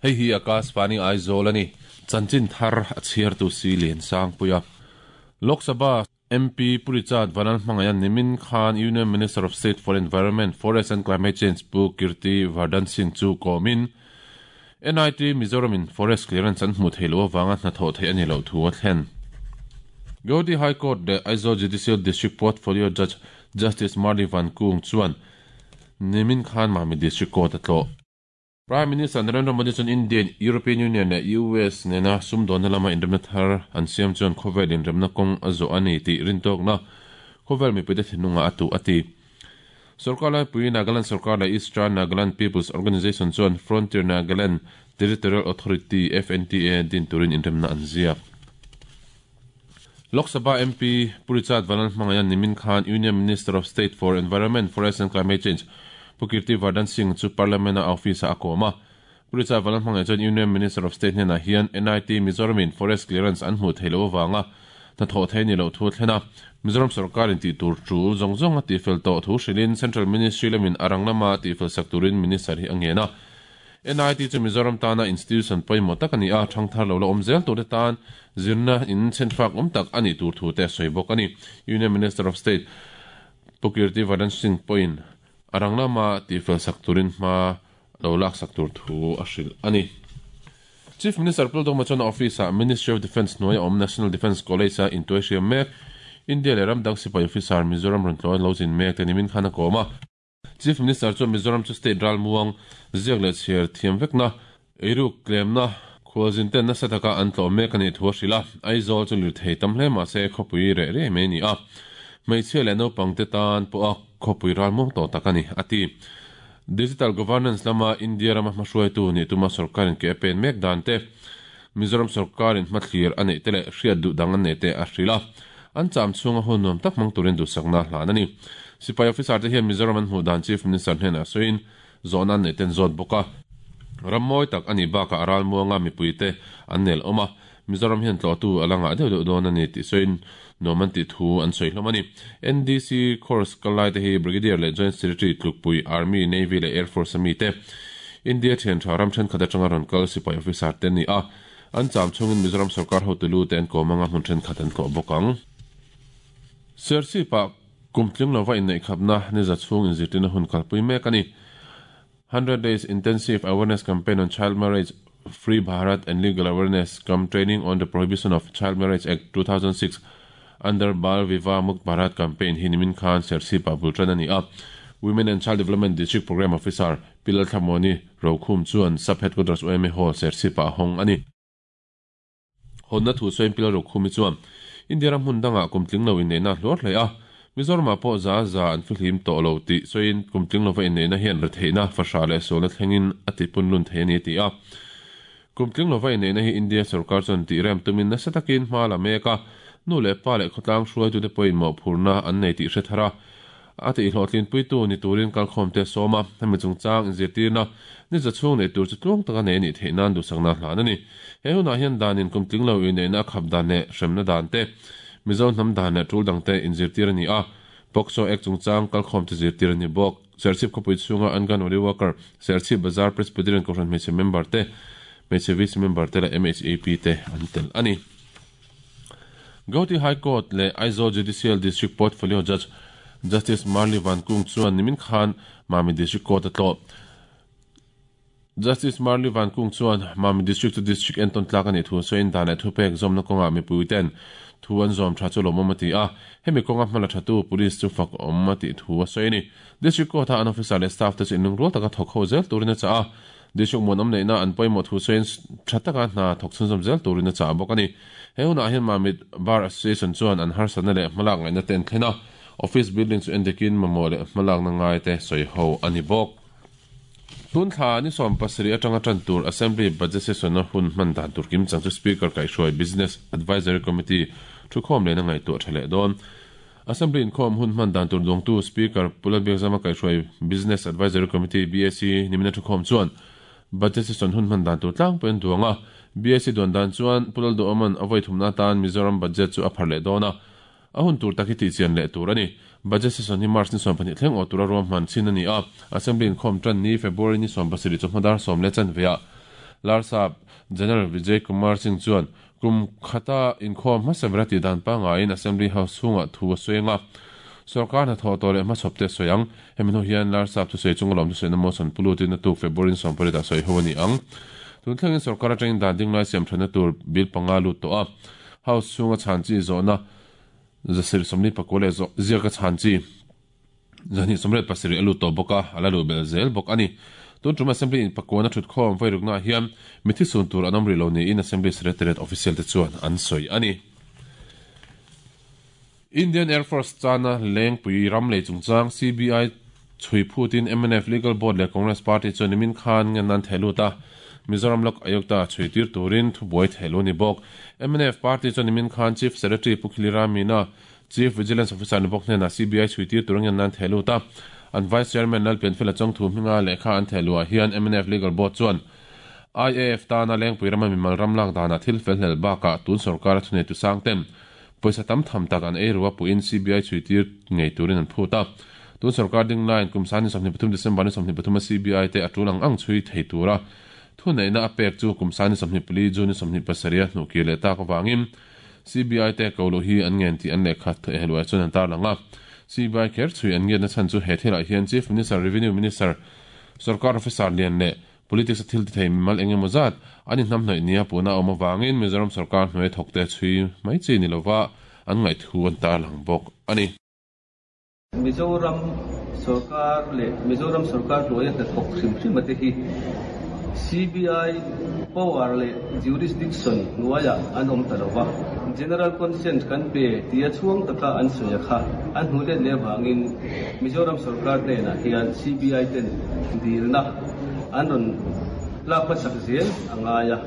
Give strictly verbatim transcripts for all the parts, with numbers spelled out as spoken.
Hei hi Akashvani Aizawl ani. Chanchin thar a chhiar tu si lian sang puia. Lok Sabha M P Purichad Vanal Hmangayan nimin khan Union Minister of State for Environment, Forest and Climate Change Pu Kirti Vardhan Singh chu komin N I T Mizoram in Forest Clearance an hmu theilo awanga hna thawh thei ani lo thu a thlen. Guwahati High Court le Aizawl Judicial District Portfolio Judge Justice Marli Van Kung chuan nimin khan Mami District Court a tlawh. Prime Minister Narendra Modi chuan Indian, European Union le U S nena sumdawnna lama inremna thar an siam chuan khawvel inremna kawng a zawh ani tih rintawkna khawvel mipuite thinlunga a tuh a ti. Sarkar laipui Nagaland Sarkar le Eastern Nagaland People's Organisation chuan Frontier Nagaland Territorial Authority F N T A din turin inremna an ziak. Lok Sabha M P Purichad Vanal Hmangayan nimin khan Union Minister of State for Environment, Forest and Climate Change Pu Kirti Vardhan Singh chu Parliament a office a kawma. Purichad Vanal Hmangayan chuan Union Minister of State hnenah hian N I T Mizoram in Forest Clearance an hmu theilo awanga hna thawh thei ni lo thu thlena. Mizoram sarkar in tih tur tul zawng zawng a tihfel tawh thu hrilhin Central Ministry lamin a rang lama tihfel sak turin Minister hi a ngen a. N I T chu Mizoram tana institution pawimawh tak ani a, thangthar lo la awm zel tur te tan zirna in chenfak awm tak ani tur thu te sawi bawk ani. Union Minister of State Pu Kirti Vardhan Singh pawhin a rang lama tihfel sak turin hma lo lak sak tur thu a hrilh ani. Chief Minister Pul Doma chuan office a Ministry of Defence hnuaia awm National Defence College a intuai hriam mek India le ramdang sipai officer Mizoram rawn tlawn lo zin mek te nimin khan a kawm a. Chief Minister chuan Mizoram chu state ral muang ziak leh chhiar thiam vekna eiruk tlemna khualzin ten nasa taka an tlawh mek ani thu a hrilh a. Aizawl chu lir thei tam hle mahse khawpui reh reh mai ani a. Hmeichhia leh naupang te tan pawh a khawpui ral muang tawh tak ani a ti. Digital Governance lama India rama hmahruaitu ni tuma sarkarin ke a pen mek dan te Mizoram sarkarin hmathlir a neih te leh hriat duh dang an nei te a hrilh a. An cham chhunga hun nuam tak hmang turin duhsakna hlan ani. Sipai officer te hian Mizoram an hmuh dan Chief Minister hnenah sawiin zawhna an nei ten zawt bawk a. Rammawi tak ani bakah a ral muanga mipui te an nel awm a. Mizoram hian tlawhtu a la ngah deuh deuh dawn ani tih sawiin nuam an tih thu an sawi hlawm ani. N D C course kalai te hi Brigadier leh Joint Secretary tlukpui Army, Navy leh Air Force ami te India thian tha ram thenkhat atanga rawn kal sipai officer te ni a. An cham chungin Mizoram sarkar hotelu te an kawmanga hmun thenkhat an tlawh bawk ang. Serchhip-ah kumtling lova inneih khapna ni za chhung inzirtirna hun kalpui mek ani. hundred Days Intensive Awareness Campaign on Child Marriage, Free Bharat and Legal Awareness cum Training on the Prohibition of Child Marriage Act two thousand six under Bal Vivah Mukt Bharat Campaign hi nimin khan Serchhip-ah bul tan ani a. Women and Child Development District Program Officer Pilal Thamoni Rokhum chuan Sub Headquarters O M A Hall Serchhip-ah hawng ani. Honna thu sawiin Pilal Rokhumi chuan India ram hmun dangah kumtling lo inneihna hluar hle a. Mizoram pawh za za an fihlim tawh lo tih sawiin kumtling lova inneihna hian retheihna fahra leh sualna thlengin a tipun lun thei ani ti a. Kumtling lova inneihna hi India sarkar chuan tih rem tumin nasa takin hma la mek a. Nu leh pa leh khawtlang hruaitu te pawhin mawhphurna an nei tih hre thar a. A tih hlawhtlin puitu ni turin kalkhawm te sawm a. Hemi chungchang inzirtirna ni za chhung nei tur chu tluang taka nei anih theih nan duhsakna hlan ani. He hunah hian danin kumtling lo inneihna a khap dan leh hremna dan te Mizo hnam dan leh tul dang te inzirtir ani a. POCSO Act chungchang kalkhawm te zirtir ani bawk. Serchhip khawpui chhunga Anganwadi Worker, Serchhip Bazar Presbyterian Kohhran hmeichhe member te, hmeichhe vice member te leh M H A P te an tel ani. Guwahati High Court leh Aizawl Judicial District Portfolio Judge Justice Marli Van Kung chuan nimin khan Mami District Court a tlawh. Justice Marli Van Kung chuan Mami District to District enton tlak ani thu sawiin dan leh thupek zawmna kawngah mipui ten thu an zawm tha chu lawmawm a ti a. Hemi kawnga hmala thatu police chu fak awm a tih thu a sawi ani. District Court a an officer leh staff te chu inlung rual taka thawk ho zel turin a chah a. District muan awm neihna an pawimawh thu sawiin tha taka hna thawk chhunzawm zel turin a chah bawk ani. He hunah hian Mami Bar Association chuan an harsatna leh hmalak ngaihna te an thlen a. Office building chu endekin mamawh leh hmalakna ngai te sawi ho ani bawk. Tun thla ni sawm pasarih atanga tan tur Assembly Budget Session a hun hman dan tur kim chang chu Speaker kaihhruai Business Advisory Committee thu khawm lehna ngaihtuah tha leh dawn. Assembly in khawm hun hman dan tur dawngtu Speaker Pulal Biakzama kaihhruai Business Advisory Committee B A C nimina thu khawm chuan Budget Session hun hman dan tur tlangpui an duang a. B A C duan dan chuan Pulal Duhawman a vawi thumna tan Mizoram budget chu a phar leh dawn a. A hun tur tak hi tih chian leh tur ani. Budget session hi March ni sawm pahnih thleng aw tura ruam hman chin ani a. Assembly in khawm tan ni February ni sawm pasarih chu hmadar sawm leh chan veah Larsap General Vijay Kumar Singh chuan kum khata inkhawm hmasa ber a tih dan pangaiin Assembly House chhungah thu a sawi anga sarkar hnathawh tawh leh hmachhawp te a sawi ang. Hemi hnu hian Larsap thusawi chunga lawm thusawiina motion pu lutin a tuk February sawmpariat ah sawi ho a ni ang. Tun thlengin sarkar atangin dan dinglai siam thatna tur bill panga lut tawh a, House chhunga chhan chi zawhna zasir sawmli pakua leh ziaka chhan chi zahnih sawmriat pasarih a lut tawh bawk a, a la luh belh zel bawk a ni. Tun tum Assembly in pakuana thut khawm vairuknaah hian mithi sun tur an awm rih lo niin Assembly Secretariat official te chuan an sawi a ni. Indian Air Force chana lengpui ram lei chungchang C B I chhui phutin M N F Legal Board leh Congress Party chuan nimin khan ngen an theh lut a, Mizoram Lok Ayukta chhui tir turin thubuai theh lu a ni bawk. M N F Party chuan nimin khan Chief Secretary Pu Khilira Meena, Chief Vigilance Officer ni bawk hnenah C B I chhui tir tur ngen an theh lut a. An Vice Chairman Lalpianfela Chawngthu hminga lehkha an theh luah hian M N F Legal Board chuan I A F tana lengpui rama mimal ram lak danah thil fel hlel bakah tun sorkara thuneitu sang ten pawisa tam tham tak an ei rua puhin C B I chhui tir ngei turin an phut a. Tun sorkar ding laiin kum sani sawmhnih pathum December ni sawmhnih pathuma C B I te a tul ang ang chhui thei tura thuneihna a pek chu kum sani sawmhnih pali June ni sawmhnih pasarih a hnuhkir leh tak avangin C B I te ko luh hi an ngen tih an lehkha hluai chuan an tarlang a. C B I kher chhui an ngiatna chhan chu he thilah hian Chief Minister, Revenue Minister, Sarkar Officer lian leh Politics a thil ti thei mimal eng emaw zat an inhnamhnawih nia puhna a awm avangin Mizoram sarkar hnuai thawkte chhui mai chi ni lova an ngaihthu an tarlang bawk a ni. Mizoram sarkar leh Mizoram sarkar hnuaia hnathawk hrim hrim ate hi C B I power leh jurisdiction hnuaiah an awm ta lova, General Consent kan pe tia chhuang taka an sawi a kha an hnu let leh avangin Mizoram sarkar hnenah hian C B I ten dilna an rawn lak hmasak zel a ngai a.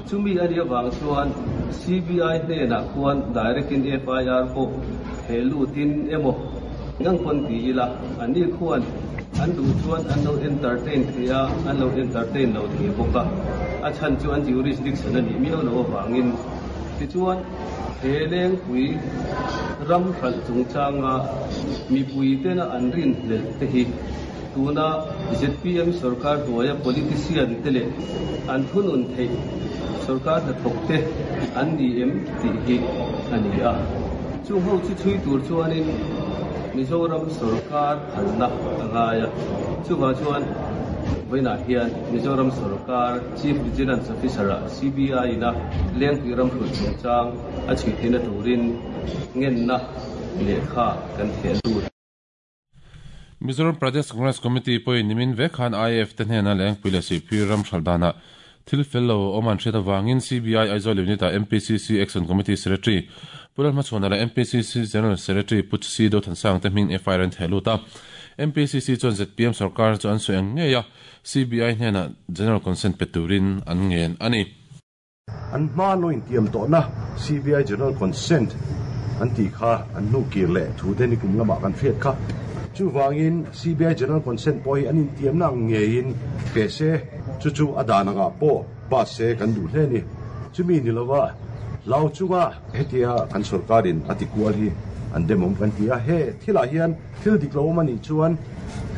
Chumi a nih avang chuan C B I hnenah khuan direct in F I R pawh he lutin emaw ngang pawn ti ila an ni khuan an duh chuan an lo entertain thei a, an lo entertain lo thei bawk a, a chhan chu an jurisdiction a nih miau lo avangin. Tichuan he lengpui ram hralh chungchanga mipui tena an rin hlelh te hi tuna Z P M sarkar hnuaia politician te leh an thunun theih sarkar hnathawk te an ni em tih hi a ni a. Chung ho chu chhui tur chuanin Mizoram sarkar phalna a ngai a. Chuvang chuan vawiinah hian Mizoram sarkar Chief Vigilance Officer ah C B I ina lengpui ram hrulh chungchang a chhui theihna turin ngenna lehkha kan theh lut. Mizoram Pradesh Congress Committee pawhin nimin vek khan I A F te hnena lengpui leh sihphir ram hralh danah thil fel lo awm an hriat avangin C B I Aizawl Unit ah M P C C Action Committee Secretary Pu Lalhmachhuana leh M P C C General Secretary Pu C Dothansang te hming F I R an theh lut a. M P C C chuan Z P M sarkar chu an sawi ang ngei a, C B I hnenah General Consent pe turin an ngen a ni. An hma lo intiam tawhna C B I General Consent an tih kha an hnukir leh thu te ni kum lamah kan hriat kha. Chuvangin C B I General Consent pawh hi an intiamna ang ngeiin pe se, chu chu a dan angah pawh pass se kan duh hle ni. Chumi ni lova hlau chunga hetia kan sarkarin a ti kual hi an demawm kan ti a. He thilah hian thil dik lo awm a nih chuan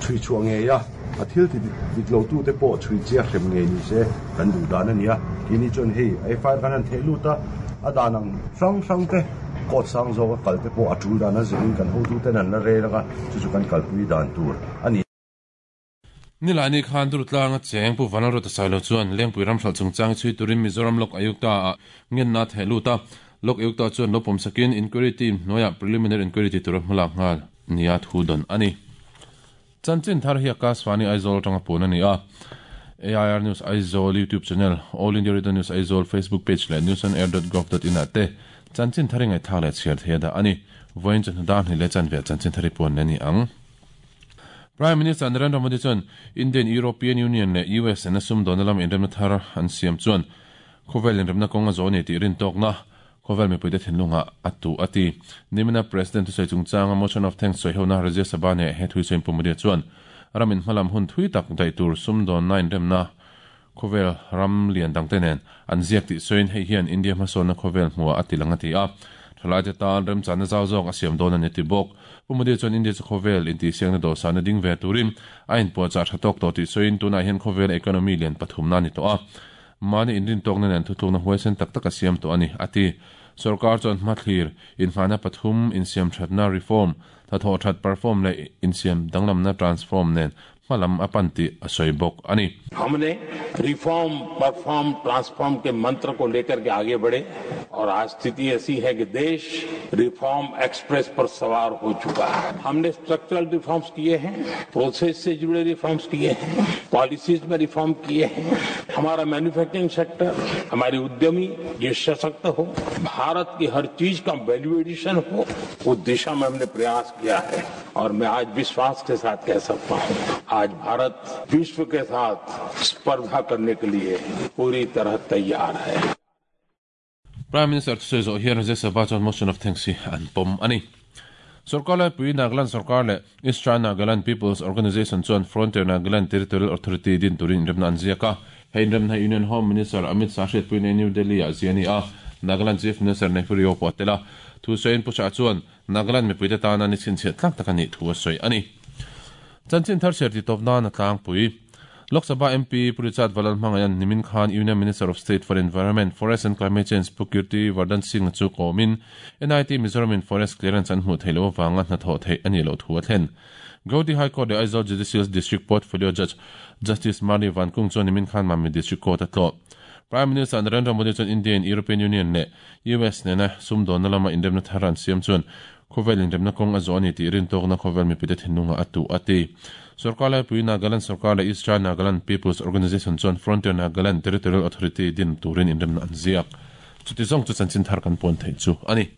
chhui chhuah ngei a, a thil ti dik lo tu te pawh chhui chia hrem ngei ni se kan duh dan a ni a. Keini chuan hei F I R kan han theh lut a, a dan ang hrang hrang te court sang zawk a kal te pawh a tul dan a zirin kan hotu ten an la rel anga, chu chu kan kalpui dan tur a ni. Nilai khan Durtlanga cheng Pu Vanlalruata Sailo chuan lengpui ram hralh chungchang chhui turin Mizoram Lok Ayukta ah ngenna theh lut a. Lok Ayukta chuan lo pawm sakin inquiry team hnuaiah preliminary inquiry ti tura hmalak nghal nia thu dawn a ni. Chanchin thar hi Akashvani Aizawl atanga pun a ni a. A I R News Aizawl YouTube channel, All India Radio News Aizawl Facebook page leh news on air dot gov dot in ah te chanchin thar i ngaihthak leh chhiar thei a dah a ni. Vawiin chu hnadan hnih leh chanve chanchin thar i puan leh a ni ang. Prime Minister Narendra Modi chuan Indian European Union leh U S na sum dawhna lam inremna thar an siam chuan khawvel inremna kawng a zawh a ni tih rintawkna khawvel mipuite thinlungah a tu a ti. Nimina President thusawi chungchanga motion of thanks sawi hona Rajya Sabha ne he thuisawi Pu Modi chuan ramin hmalam hun thui tak daih tur sum dawnna inremna khawvel ram lian dangte nen an ziak tih sawiin hei hian India hmasawnna khawvel hmuah a ti lang a ti a. Thalai te tan remchana zau zawk a siam dawn a ni ti bawk. Pu Modi chuan India chu khawvel intihsiakna dawhsana ding ve turin a inpuahchah tha tawk tawh tih sawiin tunah hian khawvel economy lian pathumna a ni tawh a. Mani inrin tawk na nen thutlukna huaisen tak tak a siam tawh a ni, a ti. Sorkar chuan hmathlir inhmana pathum insiam thatna reform, hnathawh that perform leh insiam danglamna transform nen hmalam a pan tih a sawi bawk a ni. हमने reform, perform, transform के मंत्र को लेकर के आगे बढ़े और आज स्थिति ऐसी है कि देश रिफॉर्म एक्सप्रेस पर सवार हो चुका है। हमने स्ट्रक्चरल रिफॉर्म्स किए हैं, प्रोसेस से जुड़े रिफॉर्म्स किए हैं, पॉलिसीज में रिफॉर्म किए हैं। हमारा मैन्युफैक्चरिंग सेक्टर, हमारे उद्यमी ये सशक्त हो, भारत की हर चीज का वैल्यू एडिशन हो, उस दिशा में हमने प्रयास किया है और मैं आज विश्वास के साथ कह सकता हूँ, आज भारत विश्व के साथ स्पर्धा करने के लिए पूरी तरह तैयार है। Prime Minister thusawi zawh hian Rajya Sabha chuan motion of thanks hi an pawm a ni. Sorkar laipui Nagaland Sorkar leh East China Nagaland People's Organisation chuan Frontier Nagaland Territorial Authority din turin inremna an ziak a. Hei inremna hi Union Home Minister Amit Shah hriatpuiin New Delhi ah zia a ni a. Nagaland Chief Minister Neiphiu Rio pawh a tel a. Thusawiin Pu Shah chuan Nagaland mipuite tana ni chhinchhiah tlak tak a nih thu a sawi a ni. Chanchin thar chhiar titawp nan a tlangpui. Lok Sabha M P Pu Richard Vanlalhmangaian nimin khan Union Minister of State for Environment, Forest and Climate Change Pu Kirti Vardhan Singh chu kawmin N I T Mizoram in Forest Clearance an hmuh theih loh avanga hnathawh theih a nih loh thu a thlen. Guwahati High Court leh Aizawl Judicial District Portfolio Judge Justice Mani Vankung chuan nimin khan Mamit District Court a tlawh. Prime Minister Narendra Modi chuan India in European Union leh U S nena sumdawnna lama inremna thar an siam chuan khawvel inremna kawng a zawh a ni tih rintawkna khawvel mipite thinlunga a tuh a ti. Sorkar laipui Nagaland Sorkar leh East China Nagaland People's Organisation chuan Frontier Nagaland Territorial Authority din turin inremna an ziak. Chuti zawng chu chanchin thar kan pawn theih chu a ni.